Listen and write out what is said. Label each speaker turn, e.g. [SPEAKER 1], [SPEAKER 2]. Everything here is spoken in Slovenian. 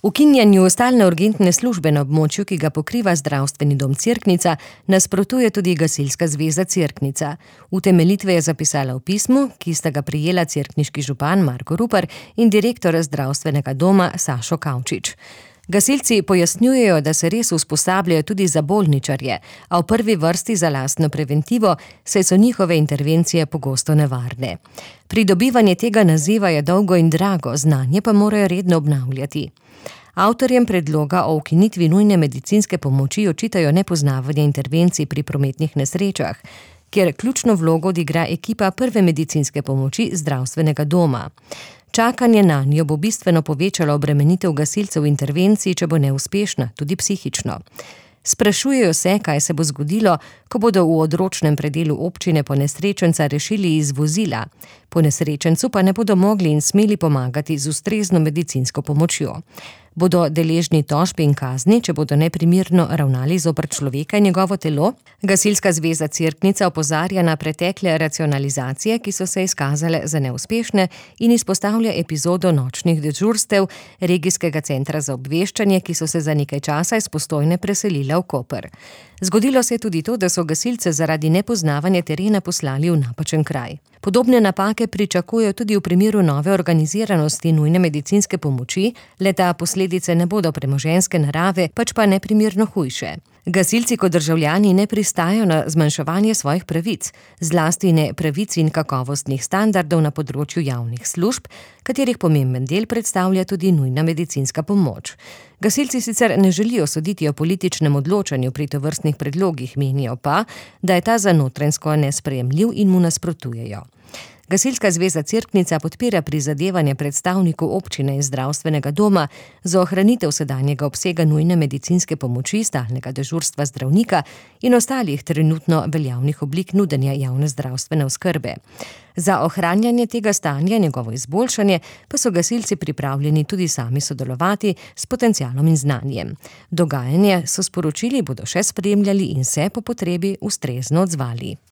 [SPEAKER 1] Ukinjanju stalne urgentne službe na območju, ki ga pokriva zdravstveni dom Cerknica, nasprotuje tudi Gasilska zveza Cerknica. Utemeljitve je zapisala v pismu, ki sta ga prejela cerkniški župan Marko Rupar in direktor zdravstvenega doma Sašo Kavčič. Gasilci pojasnjujejo, da se res usposabljajo tudi za bolničarje, a v prvi vrsti za lastno preventivo, saj so njihove intervencije pogosto nevarne. Pridobivanje tega naziva je dolgo in drago, znanje pa morajo redno obnavljati. Avtorjem predloga o ukinitvi nujne medicinske pomoči očitajo nepoznavanje intervencij pri prometnih nesrečah, kjer ključno vlogo odigra ekipa prve medicinske pomoči zdravstvenega doma. Čakanje nanjo bo bistveno povečalo obremenitev gasilcev intervencij, če bo neuspešna, tudi psihično. Sprašujejo se, kaj se bo zgodilo, ko bodo v odročnem predelu občine ponesrečenca rešili iz vozila. Ponesrečencu pa ne bodo mogli in smeli pomagati z ustrezno medicinsko pomočjo. Bodo deležni tožb in kazni, če bodo neprimerno ravnali zoper človeka in njegovo telo? Gasilska zveza Cerknica opozarja na pretekle racionalizacije, ki so se izkazale za neuspešne, in izpostavlja epizodo nočnih dežurstev regijskega centra za obveščanje, ki so se za nekaj časa iz Postojne preselile v Koper. Zgodilo se je tudi to, da so gasilce zaradi nepoznavanja terena poslali v napačen kraj. Podobne napake pričakujejo tudi v primeru nove organiziranosti nujne medicinske pomoči, le da posledice ne bodo premoženjske narave, pač pa neprimerno hujše. Gasilci kot državljani ne pristajajo na zmanjševanje svojih pravic, zlasti ne pravic in kakovostnih standardov na področju javnih služb, katerih pomemben del predstavlja tudi nujna medicinska pomoč. Gasilci sicer ne želijo soditi o političnem odločanju pri tovrstnih predlogih, menijo pa, da je ta za notranjsko nesprejemljiv in mu nasprotujejo. Gasilska zveza Cerknica podpira prizadevanje predstavnikov občine in zdravstvenega doma za ohranitev sedanjega obsega nujne medicinske pomoči, stalnega dežurstva zdravnika in ostalih trenutno veljavnih oblik nudenja javne zdravstvene oskrbe. Za ohranjanje tega stanja, njegovo izboljšanje, pa so gasilci pripravljeni tudi sami sodelovati s potencialom in znanjem. Dogajanje, so sporočili, bodo še spremljali in se po potrebi ustrezno odzvali.